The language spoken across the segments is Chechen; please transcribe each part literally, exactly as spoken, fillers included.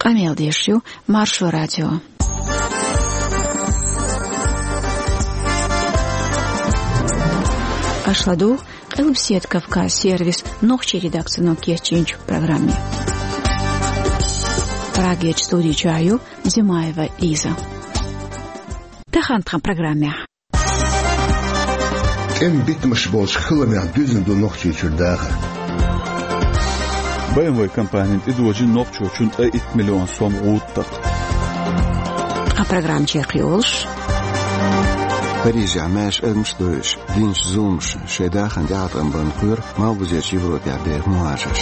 Къамел деш ю Маршо радио. Аша ладугӀу Къилбаседа Кавказ сервисан нохчийн редакцино кечйинчу программе. Прагерчу студи чохь ю Димаева Лиза. Тахана тхан программехь. ТӀеман битамаш болчу хиламех дуьзна ду Нохчийчуьра дахар. Б М В компанина тӀедожийна нохчочунна ткъе итт миллион сом гӀуда такха. Тхан программа чекхйолуш. Парижехь маьрша адамаш а дойуш, динчу зуламаша шайн дахарна тӀеӀаткъам барна кхоьру Малхбузерчу Европехь беха мухӀажарш.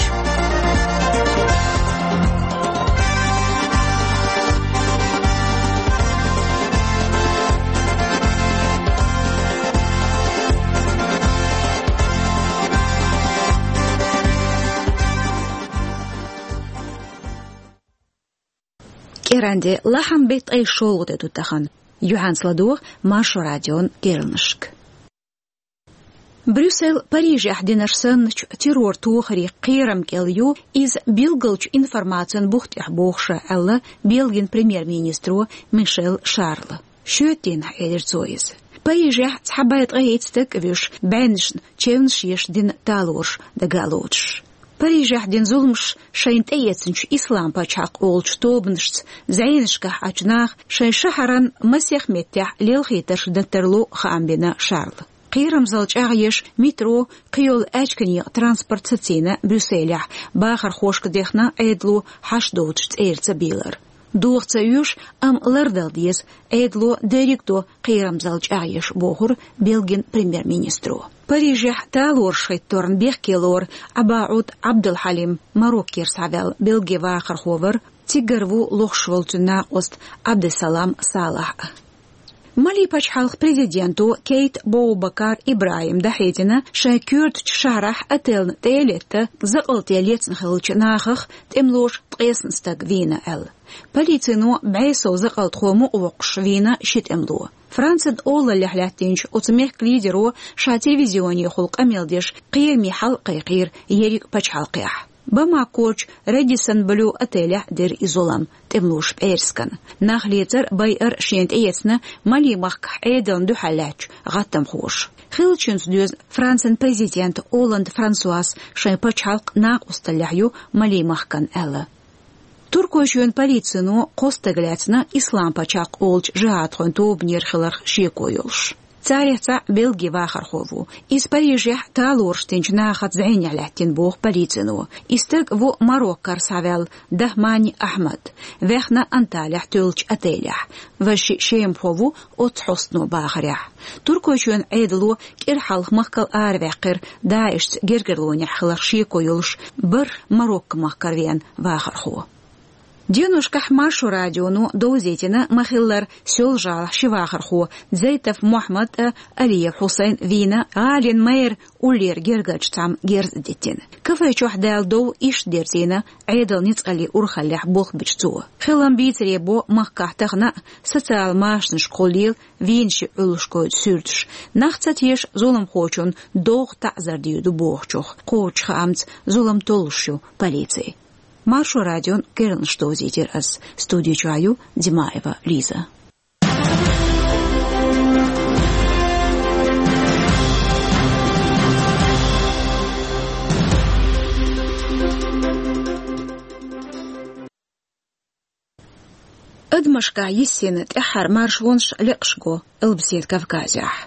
КӀиранде, лахьан беттан ткъе шолгӀа де ду тахана. Юьхьанца ладогӀа Маршо радион керланашка. Брюссель Парижехь динарш санначу террор-тохарийн кхерам кӀел ю иза билгалчу информацин бух тӀехь бохуш, аьлла Бельгин премьер-министро Мишель Шарла. Шоьтан дийнахь элира цо иза. Парижехь цхьа бӀе ткъе итт стаг а вуьйш, бӀеннашна чевнаш еш дина талораш дага а лоцуш. Парижехь дина зуламаш шайна тӀеэцначу Ислам-пачхьалкх олучу тобанашца зӀенашкахь Ӏачу наха шайн шахьаран масех меттехь лелхийтарш дан тарло хаам бина Шарла. Кхерамзалла чӀагӀъеш метро, кхийолу аьчка некъан транспорт сацийна Брюсселехь, бахархошка дехна Ӏедало хьашт доцучу цӀерца бийлар. Доха ца оьшу, амма лардала деза, Ӏедало дерриг а до кхерамзалла чӀагӀъеш, бохура Бельгин премьер-министро. Парижехь талораш хӀитторна бехке лору ӀабаӀуд Ӏабдулхьалим, Мароккера схьаваьлла бельги вахархо вара, цигара ву лохуш волу цуьнан накъост Ӏабдуссалам Салахь а. Малин пачхьалкхан президенто Кейта Боубакар ИбрахӀима дӀахьедина шайн коьртачу шахьарахь отеллна тӀе а летта, закъалте лецна хиллачу нахах тӀемалоша ткъесна стаг вийна аьлла. Полицино бӀе сов закъалтхо мукъавоккхуш вийна ши тӀемало. Францин олаллехь лаьттинчу оцу мехкан лидеро ша телевизионехула къамел деш кхераме хьал а кхайкхийра ерриг а пачхьалкхехь. Бамакохь Редиссон Блю отелехь дира и зулам, тӀемалоша пӀераскан. Нах лецар, байар шена тӀеэцна Малин махкахь Ӏедална дуьхьал лаьттачу гӀаттамхоша. Хиллачуьнца доьзна Францин президента Олланд Франсуас шайн пачхьалкх накъосталлехь ю Малин махкана аьлла. Туркойчоьнан полицино кхо стаг лаьцна Ислам-пачхьалкх олучу жихӀадхойн тобанера хиларх шеко йолуш. Царех цхьаъ бельги вахархо ву. Иза Парижехь талораш динчу нахаца зӀенехь лаьттина, боху полицино. И стаг ву Мароккара схьаваьлла Дахмани Ахьмад, ваьхна Анталехь тоьллачу отелехь. Важа шиъ шемахо ву оццу хьостано бахарехь. Туркойчоьнан Ӏедало кӀира хьалха махкал араваьккхира ДАИШца гергарлонехь хиларх шеко йолуш бархӀ Марокко-махкара веана вахархо. Деношкахь Маршо радионо довзийтина ма-хиллара Соьлжа-ГӀалахь ши вахархо, Зайтов Мохьмад а, Алиев Хьусайн вийна гӀалин мэр уллера гергарчу цхьамма герз а диттина. Кафе чохь даьлла дов иштта дерзийна Ӏедалан ницкъаллийн урхаллехь болх бичу цо. Хилам бийцаре бо махкахь тахана а социал машанашкахула лела вийначийн Ӏуьллушкойн суьрташ. Нах ца теша зуламхочунна догӀу таӀзар дийр ду бохучух. Кхочучу хаамца зулам толлуш ю полици. Маршо радион керланаш довзийтира ас. Студи чохь ю Димаева Лиза. Адамашкахь йиссина тӀаьххьара маршонаш лекъаш го Къилбаседа Кавказехь.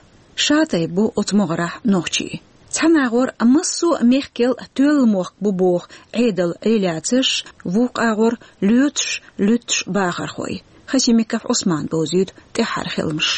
Ша тайпа бу оцу могӀарехь нохчий. Цхьана агӀор массо а мехкел тоьлла мохк бу боху Ӏедалан реляцеш, вукху агӀор лоьцуш, луьттуш бахархой. Хасимиков Ӏусмана бовзуьйту тӀаьххьара хиламаш.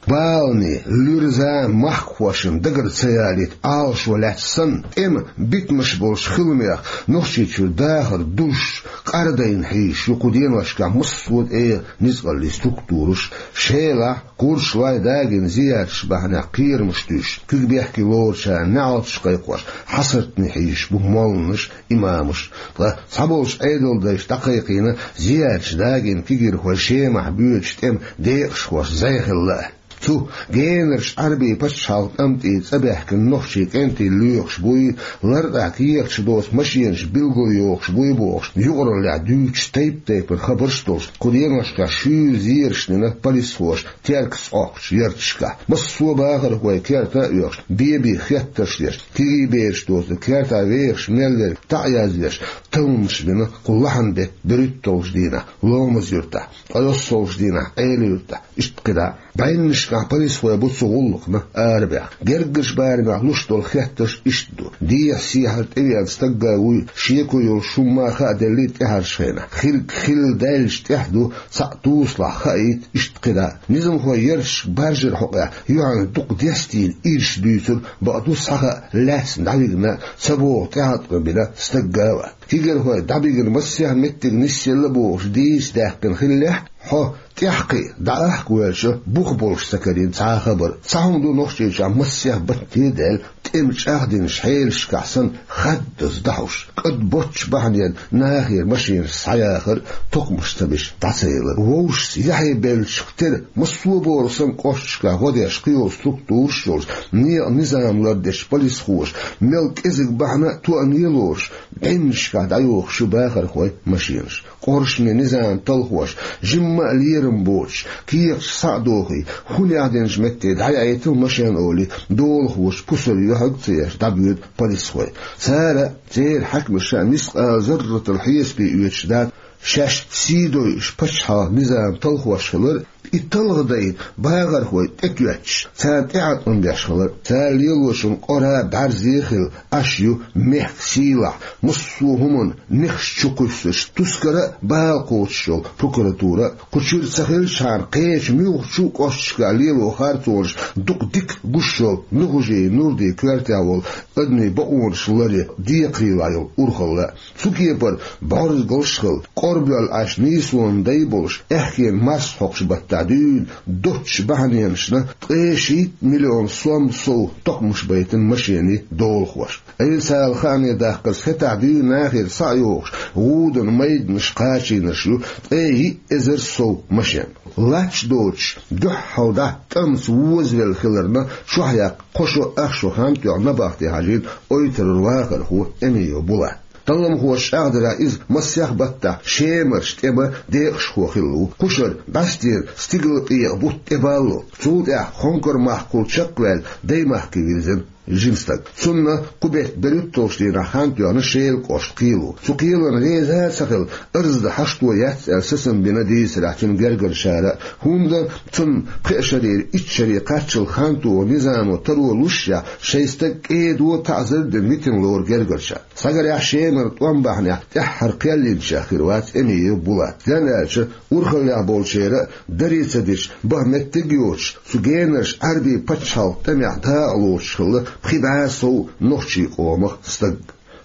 Баланийн, луьрзан махкахошна дагара ца ялийта Ӏалашо лаьцна санна, тӀеман битамаш болчу хиламех Нохчийчуьра дахар дужуш, къардайна хьийзаш ю кху деношкахь массо а тӀеман ницкъаллийн структураш, Шелахь, Курчалой, Дагина зиярташ бахьанехь кхерамаш туьйсуш, куьг бехке лоручарна неӀалташ кхайкхош, хьасартане хьийзаш бу молланаш, имамаш. Ткъа цхьаболчу Ӏедалдайша дӀакхайкхийна зиярташ Дагина кегийрхой Шемахь боьдучу тӀеман декъашхошна зӀе хилла а. Цу генарчу Ӏарбийн пачхьалкхан тӀамтӀий цӀа баьхкина нохчийн кӀентий лоьхуш буй, лартӀахь кехаташ доцу машенаш билгалйохуш буй бохуш, юкъараллехь дуьйцуш тайп-тайпана хабарш а долуш, кху деношкахь шуьйра зераш а дина полисхоша Теркаца Ӏохкучу ярташкахь. Массо а бахархой керта а оьхуш, бен-бен хеттарш деш, кегий бераш доцург кертахь вехаш мел верг таӀзар деш, талламаш бина кху лахьанан беттан берхӀитталгӀачу дийнахь Ломаз-Юьртахь, ткъе йоьссалгӀачу дийнахь Ӏела-Юьртахь, иштта кхидӀа а. БӀеннашкахь полисхой бу цу гӀуллакхна арабаьхна. Гергарчу барамехь луш долу хеттарш иштта ду: дехьа-сехьара тӀевеана стаг а вуй, шеко йолуш хӀумма а хааделлий тӀаьхьарчу хенахь, хилларг хилла даьллачу тӀехь ду, цхьаъ тусалахь хаийта, иштта кхидӀа а. Низамхой ярташка баржаран хьокъехь юьхьанца дукха дестийна ирс дуьйцура, бакъду, схьахаа лаьцна дӀавигна, ца боху тӀеӀаткъам бина стаг а вац. Кегийрхой дӀабигна массех а меттиг нисъелла бохуш дийца даьккхина хиллехь, хьо тӀаьхьакхиа дӀаахка воьлча, бух болуш ца карийна цхьа а хабар. Цхьа хӀума ду Нохчийчохь массех батте а даьлла, тӀеман чӀагӀдинчу хьелашкахь санна хаддаза дӀахьуш, кӀад боцчу бахьаненна нахера машенаш схьаяхар, токхамаш ца беш дӀа ца ялар. Вовшашца яхье беллачух тера массо а бохург санна кӀошташкахь гӀо деш кхийолу структураш а йолуш, некъан низам лардечу полисхоша мел кӀезиг бахьана а тоьъна а лоруш, бӀеннашкахь дӀайохуш ю бахархойн машенаш. Къоршаме низаман талхоша, жимма а лерам боцуш, кехаташ схьа а дохий, хӀун яздинчу метте дӀаяийтал машен олий, долахочун пусар юьхьиг а ца еш дӀабоьду полисхой. Цара а, церан хьаькамаша а мискъала зарратал хьесапе оьцуш дац, шаьш сий дойуш пачхьалкхан низаман талхош хилар, и талха дайна бахархой тӀетоьттуш, царна тӀеӀаткъам беш хилар. Цара лелочун къора а, бӀаьрзе а хилла, Ӏаш ю мехкан сийлахь, массо а хӀуманна нехаш чу кхуьссуш, тускар а, бала кхочуш йолу прокуратура а. Кху чуьра ца хилчхьана, кхечу муьлххачу кӀошташкахь лело харцонаш дукха дика гуш йолу Нухажиев Нурдин коьртехь волу адамийн бакъонаш ларъян декхарийлахь йолу урхалла а. Цу кепара бӀорзгалш а хилла, кӀорбоьлла Ӏаш нийсонан дай болуш, аьхкенан марсхьокху баттахь дуьйна доцчу бахьаненашна ткъе шийтта миллион сом сов токхамаш байтина машенийн долахоша. Ӏеласала хаамийн даккхарца хӀетахь дуьйна нахера схьа а йохуш, гӀуданан майданаш кхачийнарш ю ткъе йиъ эзар сов машен. Лач доцуш, дуьххьал дӀа тӀамца возавелла хиларна, чохь яккха кхо шо, ах шо хан тоьхна набахте хьажийна Ойтарара вахархо Эмиев Булат. Талламхоша чӀагӀдарехь, иза массех баттахь Шемарчу тӀеман декъашхо хилла ву. Кхушара бӀаьстенан стигалкъекъа бутт тӀебаллалц. Цул тӀаьхьа Хонкар-махкахула чекхваьлла, Даймахке вирзина жима стаг. Цунна кху беттан берхӀитталгӀачу дийнахь хан тоьхна Шелан кӀоштан кхело. Цу кхелана реза а ца хилла, арз дан хьашто яц аьлла, сацам бина дийцарехь цуьнан гергарчара а. ХӀунда цунна пхеа шарера итт шаре кхаччалц хан тоха низамо таро лушшехь, шайн стаг кӀеда таӀзар а дина витина лору гергарчара. Схьагарехь, Шемара тӀом бахьанехь тӀаьххьара кхел йинчех хир вац Эмиев Булат. Стенна аьлча, урхаллехь болчеран а, даре ца дича, баха меттиг а йоцуш, цу генарчу Ӏаьрбийн пачхьалкхан тӀамехь дакъа лоцуш хилла пхи бӀе сов нохчийн къомах стаг.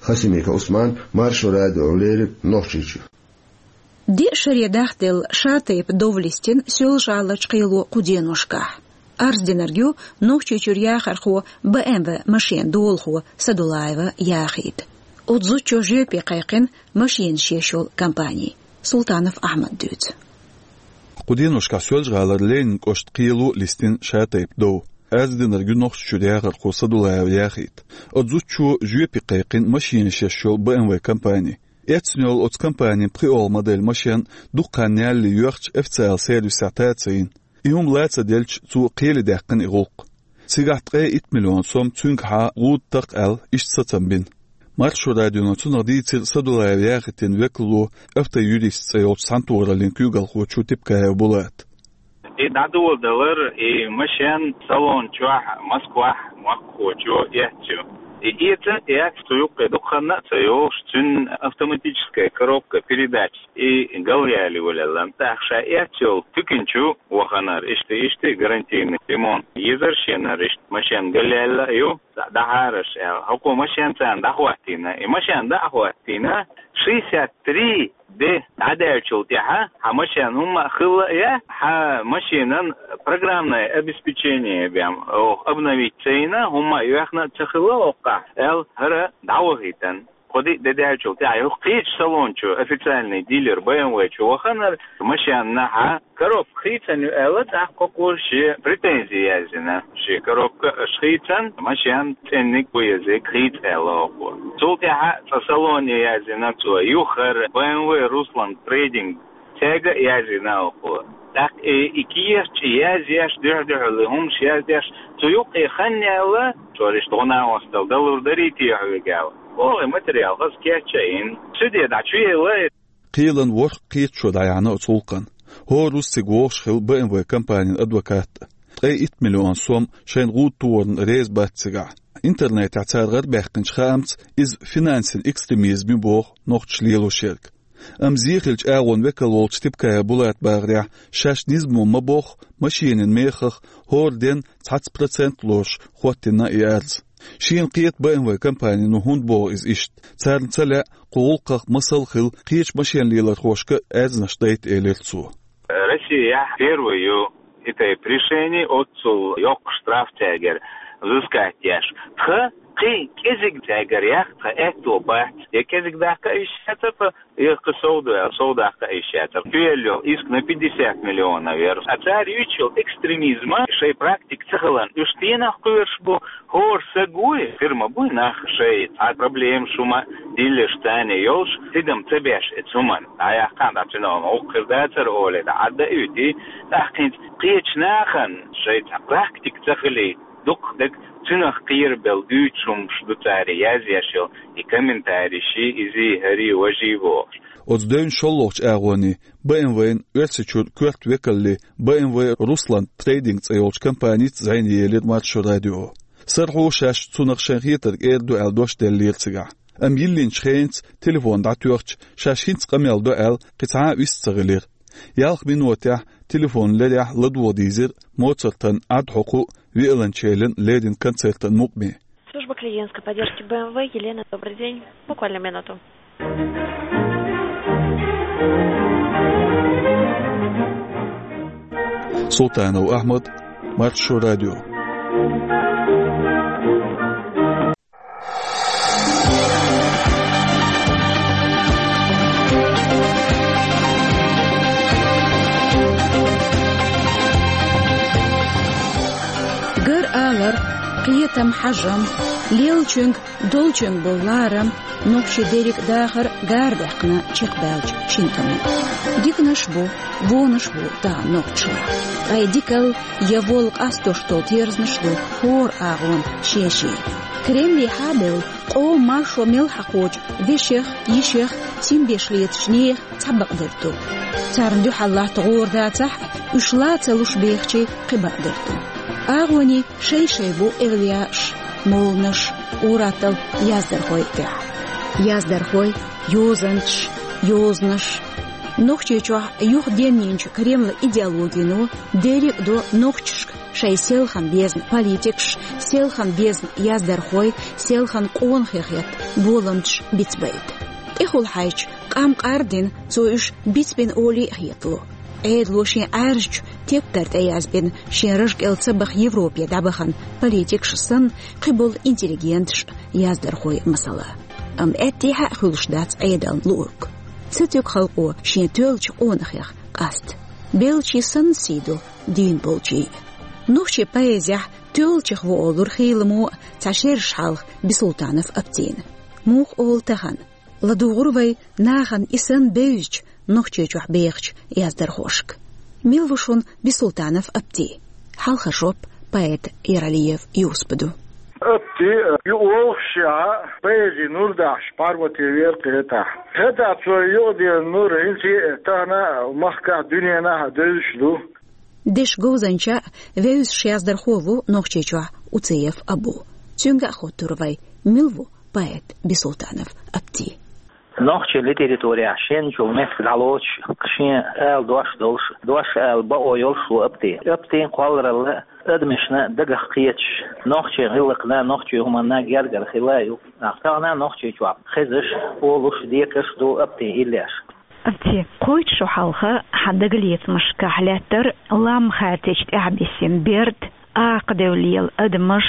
Хасимиков Ӏусман, Маршо радиона леррина, Нохчийчуьра. Деа шаре дахделла шатайпа дов листина Соьлжа-ГӀаларчу кхело кху деношкахь. Арз динарг ю Нохчийчуьра яхархо БМВ машенан долахо Садулаева Яхит. Оцу зудчо жоьпе кхайкхина машенаш еш йолу компани. Султанов Ахьмада дуьйцу. Кху деношкахь Соьлжа-ГӀалара Ленинан кӀоштан кхело а листина шатайпа дов. Арз динарг ю Нохчийчуьра яхархо Садулаева Яхит. Оцу зудчо жоьпе кхайкхина машенаш еш йолу БМВ компани. Эцна йолу оцу компанин пхоьалгӀа модель машен дукха хан ялале йоьхча, официалан сервисехь та а ца йина. И хӀума ла ца делча, цо кхеле даьккхина и гӀуллакх. Цигахь ткъе итт миллион сом цуьнгахьа гӀуда такха аьлла, иштта сацам бина. Маршо радиона цунах дийцира Садулаева Яхитан векало, автоюрист цӀе йолчу цхьаьнатохараллин куьйгалхочо Типкаев Булата. И дӀадоладалар, и машен салон чохь Москвахь махкахочо эцна ю. И эца а эцна, цу юккъе дукха хан а ца йогӀуш, цуьнан автоматическая коробка передач и галъяьлла йолаелла. ТӀаккха ша эцна йолу туьканчу ваханара, иштта, иштта гарантийный ремонт езара шенара, иштта машен галъяьлла а ю, дӀахьараш аьлла. ХӀокхо машен царна дӀахӀоттийна. И машен дӀа а хӀоттийна, шестьдесят три де дӀадаьллачул тӀаьхьа, хьан машен хӀумма а хилла а яц, хьан машенан программное обеспечение бен, оха обновить ца йина, хӀумма а йоьхна а ца хилла оккхахь, аьлла, хӀара дӀавахийтина. Кхо-диъ де даьлчул тӀаьхьа юха кхечу салон чу официальный дилер Б М В чу ваханара машенна хьа коробка хийцина ю аьлла, тӀаккха кхо кхо шен претензи яздина. Шен коробка аша хийцина, машен цӀенниг бу езиг хийца аьлла оха. Цул тӀаьхьа цкъа салоне яздина цо, юхара Б М В Руслан трейдинг цаьрга а яздина оха. ТӀаккха и, и кехаташ язъеш, дуьхьа-дуьхьал хӀумаш язъеш, цу юккъе хан яьлла, цо иштта гӀо-накъостал далур дарий те хьоьга аьлла. Оха материал хаза кечъяьлла, суьде дӀа чу яьлла. Кхелан ворхӀ-кхеташо дӀаяьхьна оцу гӀуллакхна. ХӀора рузцига вогӀуш хилла Б М В компанин адвокат. Ткъе итт миллион сом шайна гӀуда тохарна реза бац цигахь. Интернетехь цара гӀарабаьккхинчу хаамца, иза финансийн экстремизм ю боху нохчаша лелош ерг. Амма зе хиллачу агӀонан векал волчу Типкаев Булата бахарехь, шаьш низамо ма-бохху, машенийн мехах хӀора ден цхьацца процент лоруш хӀоттийна и арз. Шена кхета Б М В компанино хӀунда боху иза иштта. Царна ца лаьа кху гӀуллакхах масал хилла кхечу машен лелорхошка а арзнаш дайта, элира цо. Россехь первый ю и тайпа решений, оццул йоккха штраф цаьргара взыскать еш. Тхан кхин кӀезиг цаьргара яккха тхан аьтто бац, я кӀезиг даккха а йиш яцара тхан, я кхин сов ду аьлла, сов даккха а йиш яцара. Кхоьллина йолу иск на пятьдесят миллионов яра. А цара юьйцуш йолу экстремизм, шайн практика ца хиларна, уьш стенах кхоьруш бу, хӀора стаг вуй, фирма буй нах шайн цхьа проблемаш хӀума диллинарш царна йолуш, тидам ца беш оцу хӀуманна. ДӀаяккхахьа, дӀа цуьнан гӀуллакх хир дацара олий, дӀа Ӏадда а оьций, тӀаккха хӀинца кхечу нахана шайн цхьа практика ца хилийта, дукха дерг цуьнах кхерабелла дуьйцуш хӀумаш ду цара язъеш йолу, и комментарийш, изий, хӀарий, важий бохуш. Оцу девнаш шолгӀачу агӀоне Б М В-н Оьрсийчуьра коьрта векалле Б М В Руслан трейдинг цӀе йолчу компаница зӀене елира Маршо радио. СарахӀу шаьш цунах шайн хетарг эр ду аьлла дош деллера цигахь. Амма йиллинчу хенца телефон дӀатоьхча, шаьш хӀинца къамел до аьлла, кхин цхьа а вист ца хилира. Ялх минотехь телефон лерехь ладогӀа дийзира Моцартан Ӏад хьокху а, виолончелан леррина концертан мукъаме. Служба клиентской поддержки Б М В, Елена, добрый день. Буквально минуту. Султанов Ахьмад, Маршо радио. Гар алар, кхетам, хьажам, леллачуьнга, долчуьнга болу ларам, нохчийн дерриг а дахар гара даьккхина чекхбаьллачу шина тӀамна. Диканаш бу, вонаш бу тахана нохчашлахь. Ткъа и дикалла я волла къастош долу терзанаш ду хӀора агӀонан шен-шен. Кремлехьа а бевлла, къоман маршо мел хьакхочу вешех, йишех, цамгаш летачу нехан цхьа бакъдерг ду. Царна дуьхьал латта гӀора дацахь а, уьш ла ца луш бехачийн кхин бакъдерг ду. АгӀонийн шай-шай бу эвлаяаш, молланаш, ур-атталла яздархой а тӀехь. Яздархой, йозанчаш, йозанаш. Нохчийчохь юхаденйинчу Кремлан идеологино дерриг а до нохчашка шайн селхана безна политикаш, селхана безна яздархой, селхана къонахий хетта боламчаш бицбайта. ТӀехула хьаьжча, къам къар а дина, цо уьш бицбина олий а хетало. Ӏедало шен Ӏаьржачу тептар тӀе язбина, шен раж кӀел ца баха Европе дӀабахана политикаш санна, кхиболу интеллигенташ а, яздархой а масала. Амма аьттехьа а хуьлуш дац Ӏедална луург. Ца туьгу халкъо шен тоьллачу къонахех къаста. Беллачийн санна сий ду дийна болчийн. Нохчийн поэзехь тоьллачех ву олура хийламо а цхьа шераш хьалха Бисултанов Аптина. Муха олу тахана? ЛадугӀур вай нахана и санна бевзачу, Нохчийчохь бехачу яздархошка. Мила ву шуна Бисултанов Апти? Хьалха жоп поэта Яралиев Юсупа ду. Апти юкъаволхушехь, поэзи нур дахьаш паргӀатве вера кхетахь. ХӀетахь цо юкъаденна нур хӀинца а тахана махкахь а, дуьненахь а девзаш ду. Дешан говзанча а, вевзаш яздархо а ву Нохчийчохь Уцеев Абу. Цуьнга а хоттура вай, мила ву поэт Бисултанов Апти. Нохчийн литературехь шен чул меттиг дӀалоцуш, шен ала дош долуш, дош ала бакъо йолуш ву Апти. Аптин кхолларалла адамашна дагах кхеташ, нохчийн гӀиллакхна, нохчийн хӀуманна гергара хила а ю. Тахана Нохчийчохь хезаш, олуш, декаш ду Аптин иллеш. Апти, кхойтта шо хьалха хьан дагалецамашкахь лаьттара лам хартечу тӀаьхьабиссина берд, акха девлла лела адамаш,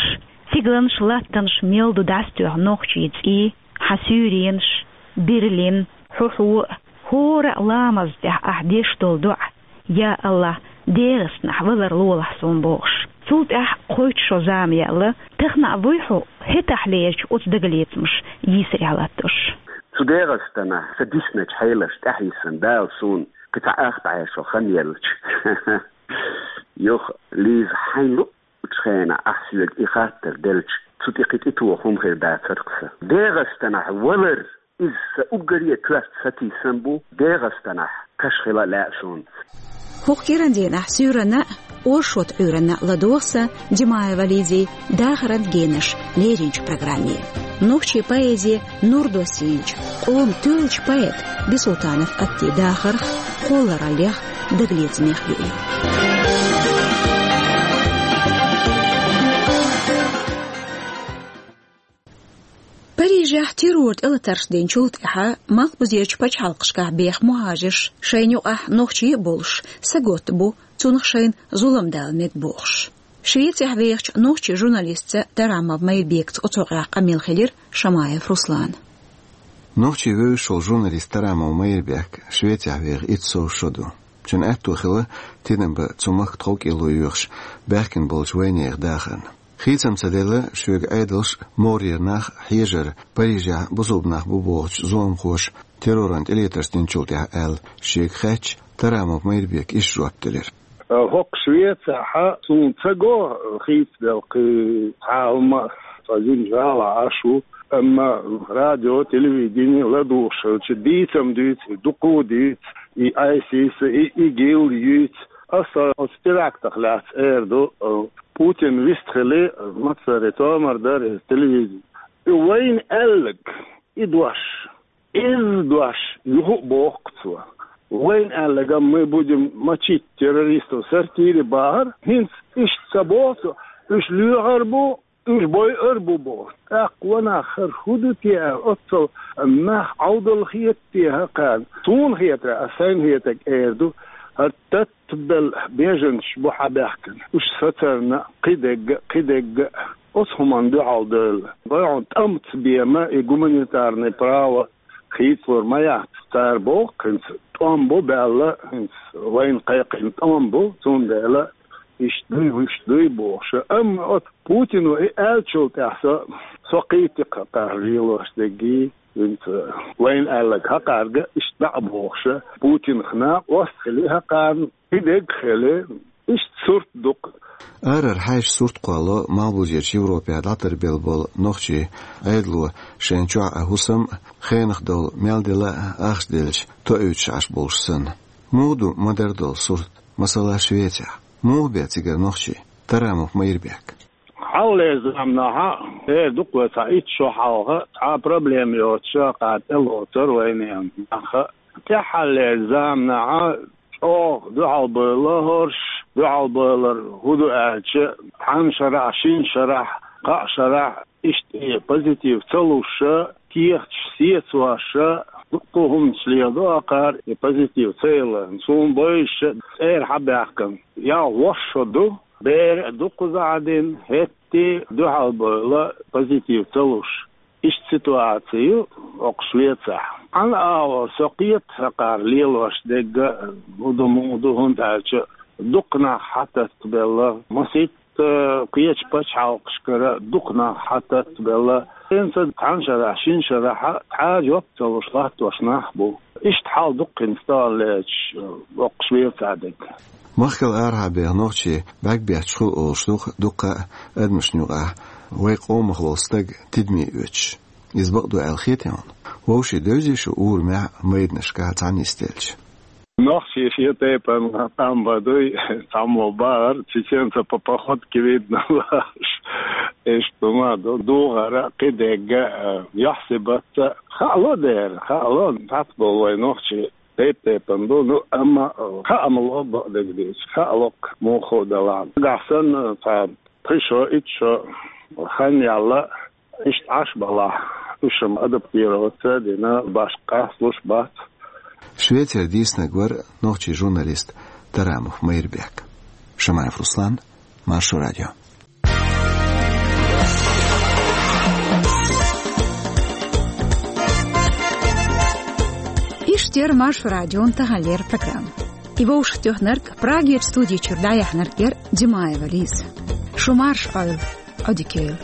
стигаланаш, латтанаш мел ду дӀасатоьхна нохчийн цӀий, Хьан суьйренаш, Берлин, хьо-хьо а, хӀора а ламаз тӀехь ахь деш долу доӀа: «Я АллахӀ, ДегӀастанахь валар лолахь суна», — бохуш. Цул тӀаьхьа кхойтта шо зама яьлла, тахана а вуй хьо хӀетахь лерча оцу дагалецамаш йийсарехь латтош? Цу ДегӀастанахь сан дисначу хьелашна тӀаьхьа йисина Дала суна кхин цхьа ах бӀе шо хан елча. Юха, Лиза, хьайна луъучу хенахь ахь соьга и хаттар делча, цу тӀе кхин тӀетоха хӀума хир дацара-кх сан. ДегӀастанахь валар, иза сан уггаре а коьрта сатийсам бу, ДегӀастанахь кхаш хила а лаьа суна. ХӀокху кӀиран дийнахь суьйранна а, оршот Ӏуьйранна а ладогӀа сан Димаева Лизин «Дахаран генаш» леринчу программе. Нохчийн поэзи нур доссийначу, къоман тоьллачу поэта Бисултанов Аттин дахарх, кхоллараллех, дагалецамех юй. Парижехь террор тӀелатарш динчул тӀаьхьа малхбузерчу пачхьалкхашкахь беха мухӀажарш, шайна юкъахь нохчий а болуш, саготта бу, цунах шайна зулам дала мега бохуш. Швецехь вехачу нохчийн журналистца Тарамов Майрбекца оцу хьокъехь къамел хилира Шамаев Руслана. Нохчий вевзаш волу журналист Тарамов Майрбек Швецехь веха итт сов шо ду. Шен аьтто хилла тидам бан цу махка тховкӀело йоьхуш баьхкина болчу вайнехан дахарна. Хийцам ца делла, шоьга Ӏедалш а, морера нах а хьежар Парижехь бусалба нах бу бохучу зуламхоша терроран тӀелатарш динчул тӀаьхьа аьлла, шега хаьттича, Тарамов Майрбека иштта жоп делира. ХӀокху Швецехь суна ца го хийцабелла кхин цхьа а хӀума, цкъа жимма жалахь Ӏаш ву, амма радио, телевидени ладугӀуш хилча, дийцам дуьйцу, дукха а дуьйцу, и айсис, и ИГИЛ юьйцу. Аса оцу терактах лаьцна эр ду, Путин вистхили, массаре томар дара иза телевидени. И вайна аьлларг, и дош, иза дош юха а боху-кх цо. Вайна аьлларг, мы будем мочить террористов в сортире, бахара, хӀинца иштта ца боху цо, уьш лоьхур бу, уьш бойур бу боху. ТӀаккха ванах, хӀара хӀун ду те аьлла, оццул нах Ӏовдал хета те хӀокхарна? Суна хетарехь, ас сайна хетарг эр ду, хӀара тат- белла беженцаш бу хьабаьхкина. Уьш сацарна кхидерг а, кхидерг а оцу хӀуманна дуьхьал девлла. Вай хьуна тӀом ца бен и гуманитарный право хийцалур ма яц. Цара боху, хӀинца тӀом бу баьлла, хӀинца вайна кхайкхина тӀом бу, цундела иштта дуй, вуьшта дуй бохуш. Амма оцу Путино и аьллачул тӀаьхьа со, со кхийтира-кх хӀокхарна лелош дерг. ХӀинца вайна аьлларг хӀокхаьрга иштта дӀа а бохуш, Путинах накъост хили хӀокхарна, кхидерг а хили, иштта сурт ду-кх. Арара хьаьжча сурт кхоллало малхбузерчу Европехь дӀатарбелла болу нохчийн Ӏедало шайна чохь а хӀусам а, хенах долу мел дела а ахча делча тоуьйтуш Ӏаш болуш санна. Муха ду ма-дарра долу сурт, масала, Швецехь? Муха бен цигара нохчий? Тарамов Майрбек. Хьалхалерчу заманахь, эр ду-кх вай, цхьа итт шо хьалха цхьа а проблема йоцуш хӀокхарна тӀелоцура вайнехан нах. ТӀаьххьалерчу заманахь чӀогӀа дуьхьалбевлла хӀорш, дуьхьалбевлар хӀун ду аьлча, цхьана шарахь, шина шарахь, кхаа шарахь иштта и позитив ца луш, кехаташ сецош, дуккха а хӀуманаш леладо хӀокхара и позитив ца хиларна. Суна бовзуш, цӀера хьабаьхкина ялх-ворхӀ шо ду, бер а дуккха зӀе дина, хӀетте а дуьхьалбевлла, позитив ца луш. Иштта ситуаци ю хӀокху Швецехь. Цхьана агӀор со кхета хӀокхара лелош дерг а, хӀун ду, муха ду, хӀунда аьлча дукха нах хьататтабелла, масийтта кхечу пачхьалкхашкара дукха нах хьататтабелла. ХӀинца цхьана шарахь, шина шарахь цхьа а жоп ца луш латтош нах а бу. Иштта хьал ду-кх хӀинца таханлерчу хӀокху Швецехь дерг. Махкал арахьа беха нохчий бӀаьрг бетташ хуьлу олуш ду-кх дуккха а адамашна юкъахь вайн къомах волу стаг тидаме оьцуш. Иза бакъ ду аьлла хетий хьуна? Вовшийн, девзий шу урамехь а, майданашкахь а цхьаьна нисделча? Нохчий шен тайпана тӀом бан дуй, цхьаммо бахара, чеченца по походке видно бохуш. Иштта хӀума ду, духар а, кхидерг а, юьхь-сибат а. Хаало дера, хаало, цхьацца болу вай нохчий тайп-тайпана ду, ну, амма, э, хаам ло бакъдерг дийцича, хаало-кх муха делахь. Нагахь санна цхьа пхи шо, итт шо хан яьлла, иштта Ӏаш балахь, уьш-м адаптироваться а дина, башха къасталуш бац. Швецера дийцинарг вара нохчийн журналист Тарамов Майрбек. Шамаев Руслан, Маршо радио. Иштта яр Маршо радион таханлера программа. И вовшахтоьхнарг, Прагерчу студи чуьра дӀаяьхьнарг яр Димаева Лиза. Шу марша Ӏойла, Ӏодика йойла.